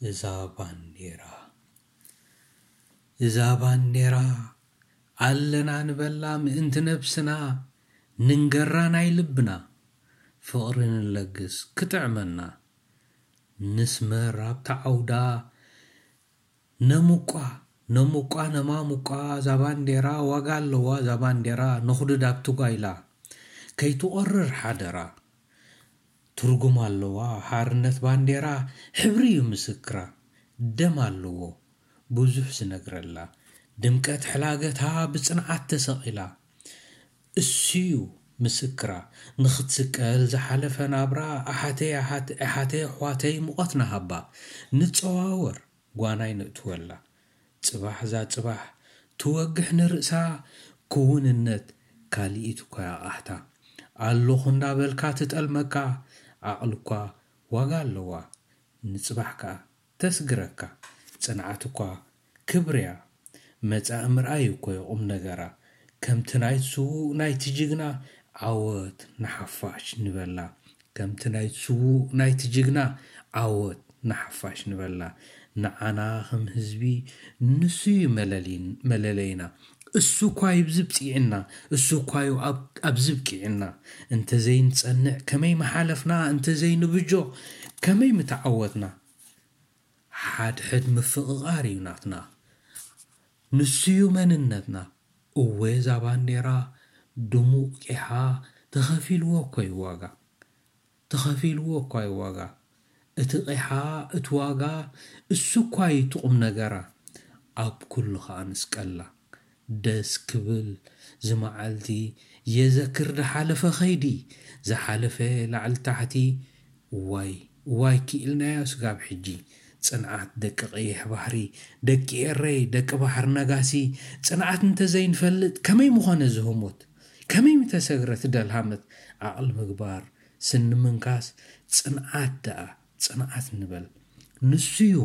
እዛ ባንዴራ፣ እዛ ባንዴራ ኣለና ንበላ ምእንቲ ነብስና፣ ንንገራ ናይ ልብና፣ ፍቕሪ ንለግስ ክጥዕመና። ንስመር ኣብታ ዓውዳ፣ ነሙቋ፣ ነሙቋ፣ ነማሙቋ፣ እዛ ባንዴራ ዋጋ ኣለዋ፣ እዛ ባንዴራ ንኹድድ ኣብቲ ጓይላ፣ ከይትቖርር ሓደራ። ትርጉም ኣለዋ ሓርነት ባንዴራ፣ ሕብሪ እዩ ምስክራ፣ ደም ኣለዎ ብዙሕ ዝነግረላ፣ ድምቀት ሕላገታ ብጽንዓት ተሰቒላ፣ እሱዩ ምስክራ፣ ንኽትስቀል ዝሓለፈ ናብራ፣ ኣሓተይ ኣሓት-፣ ኣሓተይ ኣሕዋተይ ሙቐት ንሃባ፣ ንጸዋወር ጓናይ ንእትወላ፣ ጽባሕ እዛ ጽባሕ ትወግሕ ንርእሳ፣ ክውንነት ካልኢት እኳ ያቓሕታ፣ ኣለኹ እንዳበልካ ትጠልመካ፣ ዓቕሊ እኳ ዋጋ ኣለዋ፣ ንጽባሕ ከኣ ተስግረካ፣ ጽንዓት እኳ ክብርያ፣ መጻኢ ምርኣይ እኮ እዩ ቁም ነገራ፣ ከምቲ ናይቲ ስዉእ ናይቲ ጅግና፣ ዓወት ንሓፋሽ ንበላ። ከምቲ ናይቲ ስዉእ ናይቲ ጅግና፣ ዓወት ንሓፋሽ ንበላ። ንዓና ከም ህዝቢ ንሱ እዩ መለሊን-፣ መለለይና። እሱ እኳ እዩ ብዝብጽዕና፣ እሱ እኳ እዩ ኣብ-፣ ኣብዚ ብቂዕና። እንተዘይንጸንዕ ከመይ ምሓለፍና፣ እንተዘይንብጆ ከመይ ምተዓወትና። ሓድሕድ ምፍቕቓር እዩ ናትና። ንሱ እዩ መንነትና። እወ እዛ ባንዴራ ድሙቕ ቂሓ ተኸፊልዎ እኮ እዩ ዋጋ። ተኸፊልዎ እኳ እዩ ዋጋ። እቲ ቂሓ፣ እቲ ዋጋ፣ እሱ እኳ እዩ እቲ ቁም ነገራ። ኣብ ኩሉ ኸኣ ንስቀላ። ደስ ክብል ዝመዓልቲ የዘክር ዝሓለፈ ኸይዲ፣ ዝሓለፈ ላዕሊ ታሕቲ። እዋይ፣ እዋይ ክኢልናዮ ስጋብ ሕጂ። ጽንዓት ደቂ ቀይሕ ባሕሪ፣ ደቂ ኤረይ፣ ደቂ ባሕሪ ነጋሲ። ጽንዓት እንተዘይንፈልጥ ከመይ ምኾነ ዝህሞት? ከመይ ምተሰግረት ደልሃመት? ዓቕሊ ምግባር፣ ስኒ ምንካስ፣ ጽንዓት ደኣ፣ ጽንዓት ንበል። ንሱዩ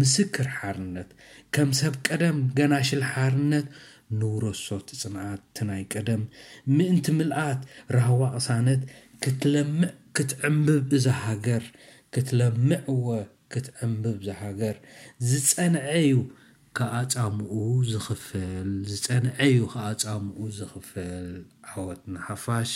ምስክር ሓርነት። ከም ሰብ ቀደም ገናሽል ሓርነት ንውረሶ እቲ ጽንዓት እቲ ናይ ቀደም። ምእንቲ ምልኣት ራህዋ ቅሳነት ክትለምዕ ክትዕምብብ እዛ ሃገር። ክትለምዕ እወ ክትዕምብብ እዛ ሃገር። ዝጸንዐ እዩ ከኣ ጻምኡ ዝኽፈል። ዝጸንዐ እዩ ከኣ ጻምኡ ዝኽፈል። ዓወት ንሓፋሽ።